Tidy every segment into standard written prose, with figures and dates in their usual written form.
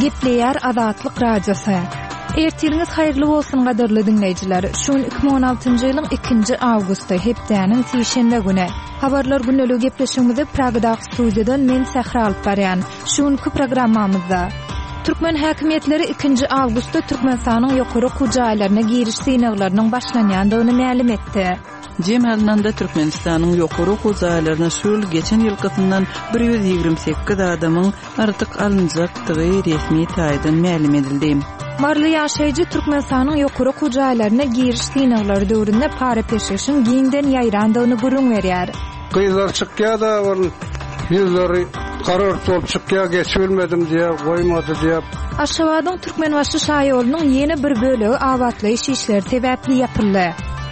Gepleýär Azatlyk Radiosy. Ertiriňiz haýyrly bolsun gadyrly diňleýjiler. Şu gün 2016-njy ýylyň 2-nji awgusty, hepdäniň sişenbe güni. Habarlar gündeligi gepleşigimizi Pragadaky studiýadan men Sähra alyp barýan. Şu günki programmamyzda Türkmen häkimiýetleri 2-nji awgustda Türkmenistanyň ýokary okuw jaýlaryna giriş synaglarynyň başlanýandygyny mälim etdi. Jem alnanda Türkmenistanyň ýokary okuw jaýlaryna şu ýyl geçen ýylkysyndan 128 adamyň artyk alynjakdygy resmi taýdan mälim edildi. Maryly ýaşaýjy Türkmenistanyň ýokary okuw jaýlaryna giriş synaglary döwründe para-peşgeşiň giňden ýaýrandygyny gürrüň berýär. Gyzlar çykýa-da ol ýüzleri gara-ört bolup çykýa, geçibilmedim diýýä, goýmady diýýä. Aşgabadyň Türkmenbaşy şaýolunyň ýene bir bölegi abatlaýyş işleri sebäpli ýapyldy.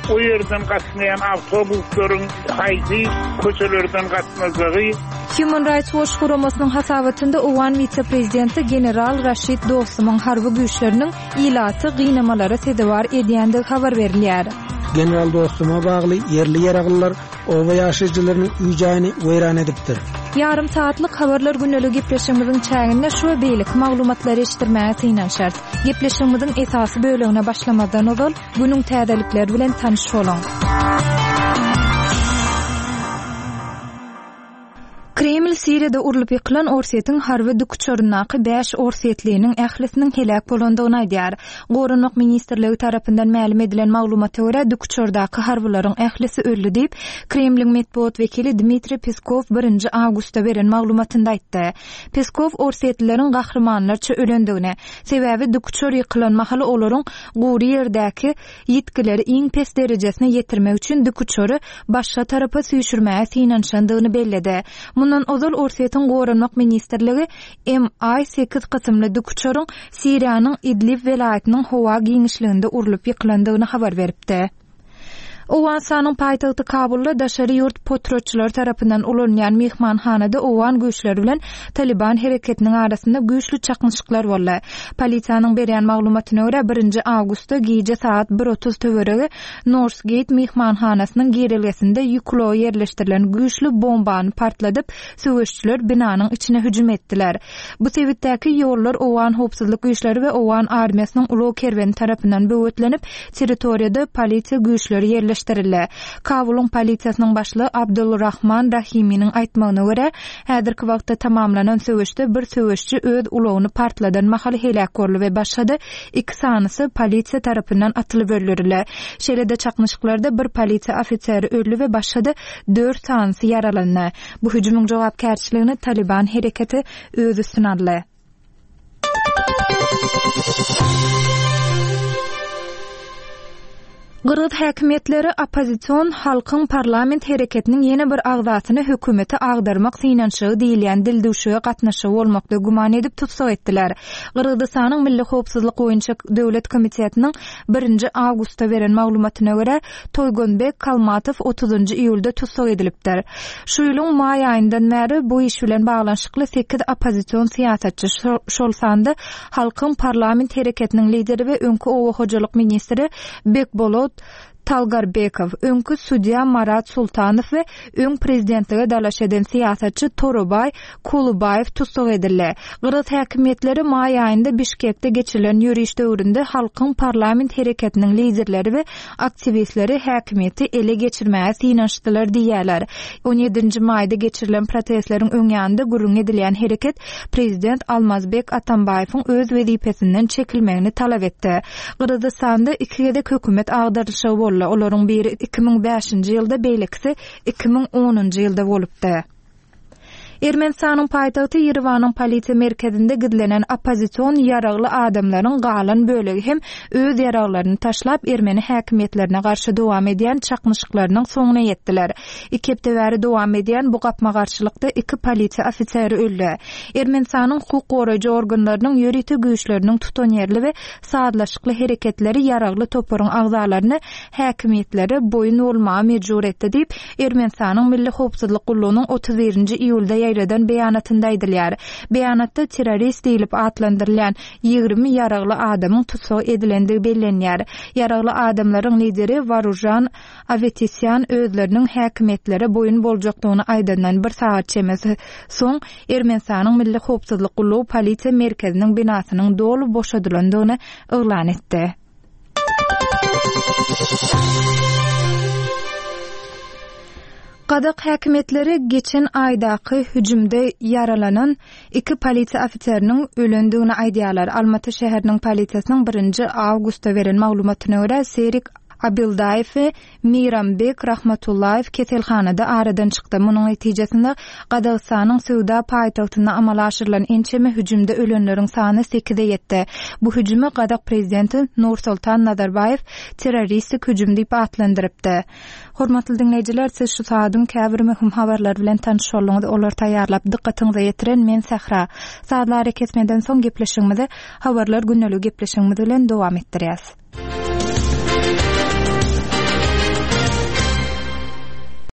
O ýerden gatnaýan awtobuslaryň haýsy köçelerden gatnajagy. Human Rights Watch guramasynyň hasabatynda owgan wise-prezidenti general Raşid Dostumyň harby güýçleriniň ilaty gynamalara sezewar edýändigi habar berilýär. General Dostuma bagly ýerli ýaraglylar oba ýaşaýjylarynyň öý-jaýyny weýran edipdir. Ýarym sagatlyk Habarlar gündeligi gepleşigimiziň çäginde şu we beýleki maglumatlary eşitdirmäge synanyşarys. Gepleşigimiziň esasy bölegine başlamazdan ozal, günüň täzelikleri bilen tanyş boluň. Kreml Siriýada urlup ýykylan Orsýetiň harby dikuçaryndaky bäş orsýetliniň ählisiniň heläk bolandygyny aýdýar. Goranmak ministrligi tarapyndan mälim edilen maglumata görä, dikuçardaky harbylaryň ählisi öldi diýip, Kremliň metbugat wekili Dmitriý Peskow birinji awgustda beren maglumatynda aýtdy. Peskow orsýetlileriň gahrymanlarça ölendigini, sebäbi dikuçar ýykylan mahaly olaryň gury ýerdäki ýitgileri iň pes derejesine ýetirmek üçin dikuçary başga tarapa süýşürmäge synanyşandygyny belledi. Mundan ozal Orsýetiň Goranmak ministrligi MI sekiz kysymly dikuçaryň Siriýanyň Idlib welaýatynyň howa giňişliginde urlup ýykylandygyny habar beripdi. Owganystanyň paýtagty Kabulda daşary ýurt potratçylary tarapyndan ulanylýan myhmanhanada owgan güýçleri bilen Talyban hereketiniň arasynda güýçli çaknyşyklar boldy. Polisiýanyň berýän maglumatyna görä, birinji awgustda gije sagat bir 30 töweregi Northgate myhmanhanasynyň girelgesinde ýük ulagy ýerleşdirilen güýçli bombany partladyp, söweşçiler binanyň içine hüjüm etdiler. Bu sebitdäki ýollar owgan howpsuzlyk güýçleri we owgan armiýasynyň ulag kerweni tarapyndan böwetlenip, Territoriýada polisiýa güýçleri ýerleşdirildi. Kabulyň polisiýasynyň başlygy Abdul Rahman Rahiminiň aýtmagyna görä, häzirki wagtda tamamlanan söweşde bir söweşçi öz ulagyny partladan mahaly heläk boldy we başga-da iki sanysy polisiýa tarapyndan atylyp öldürildi. Şeýle-de çaknyşyklarda bir polisiýa ofiseri öldi we başga-da dört sanysy ýaralandy. Bu hüjümiň jogapkärçiligini Talyban hereketi öz üstüne aldy. Gyrgyz häkimiýetleri oppozision Halkyň parlament hereketiniň ýene bir agzasyny hökümeti agdarmak synanyşygy diýilýän dildüwşüge gatnaşygy bolmakda güman edip tussag etdiler. Gyrgyzystanyň Milli howpsuzlyk boýunça döwlet komitetiniň birinji awgustda beren maglumatyna görä, Toýgonbek Kalmatow otuzynjy iýulda tussag edilipdir. Şu ýylyň maý aýyndan bäri bu iş bilen baglanyşykly sekiz oppozision syýasatçy, şol sanda Halkyň parlament hereketiniň lideri we öňki oba hojalyk ministri Bekbolot Talgarbekow, öňki sudýa Marat Sultanow we öň prezidentlige dalaş eden syýasatçy Torobaý Kulubaýew tussag edildi. Gyrgyz häkimiýetleri maý aýynda Bişkekde geçirilen ýöriş döwründe Halkyň parlament hereketiniň liderleri we aktiwistleri häkimiýeti ele geçirmäge synanyşdylar diýýärler. On ýedinji maýda geçirilen protestleriň öň ýanynda gürrüňi edilýän hereket prezident Almazbek Atambaýewiň öz wezipesinden çekilmegini talap etdi. Gyrgyzystanda iki gezek hökümet agdarylyşygy boldy, olaryň biri 2005-nji ýylda, beýlekisi 2010-njy ýylda bolupdy. Ermenistanyň paýtagty Ýerewanyň polisiýa merkezinde gizlenen oppozision ýaragly adamlaryň galan bölegi hem öz ýaraglaryny taşlap, ermeni häkimiýetlerine garşy dowam edýän çaknyşyklarynyň soňuna ýetdiler. Iki hepde bäri dowam edýän bu gapma-garşylykda iki polisiýa ofiseri öldi. Ermenistanyň hukuk goraýjy organlarynyň ýörite güýçleriniň tutanýerli we sazlaşykly hereketleri ýaragly toparyň agzalaryny häkimiýetlere boýun bolmaga mejbur etdi diýip, Ermenistanyň Milli howpsuzlyk gullugynyň 31 nji iýulda. ýaýradan beýanatynda aýdylýar. Beýanatda terrorist diýlip atlandyrylýan 20 ýaragly adamyň tussag edilendigi bellenýär. Ýaragly adamlaryň lideri Waružan Awetisýan özleriniň häkimiýetlere boýun boljakdygyny aýdandan bir sagat çemesi soň, Ermenistanyň Milli howpsuzlyk gullugy polisiýa merkeziniň binasynyň doly boşadylandygyny yglan etdi. Gazak häkimiýetleri geçen aýdaky hüjümde ýaralanan iki polisiýa ofiseriniň ölendigini aýdýarlar. Almaty şäheriniň polisiýasynyň birinji awgustda beren maglumatyna görä, Serik Abildaýew we Meýrambek Rahmatullaýew keselhanada aradan çykdy. Munuň netijesinde, Gazagystanyň söwda paýtagtynda amala aşyrylan ençeme hüjümde ölenleriň sany sekize ýetdi. Bu hüjümi gazak prezidenti Nursultan Nazarbaýew terroristik hüjüm diýip atlandyrypdy. Hormatly diňleýjiler, siz şu saadyň käbir möhüm habarlary bilen tanyş bolduňyz. Olary taýýarlap, dykgatyňyza ýetiren men Sähra. Sazly arakesmeden soň gepleşigimizi Habarlar gündeligi gepleşigimiz bilen dowam etdirýäs.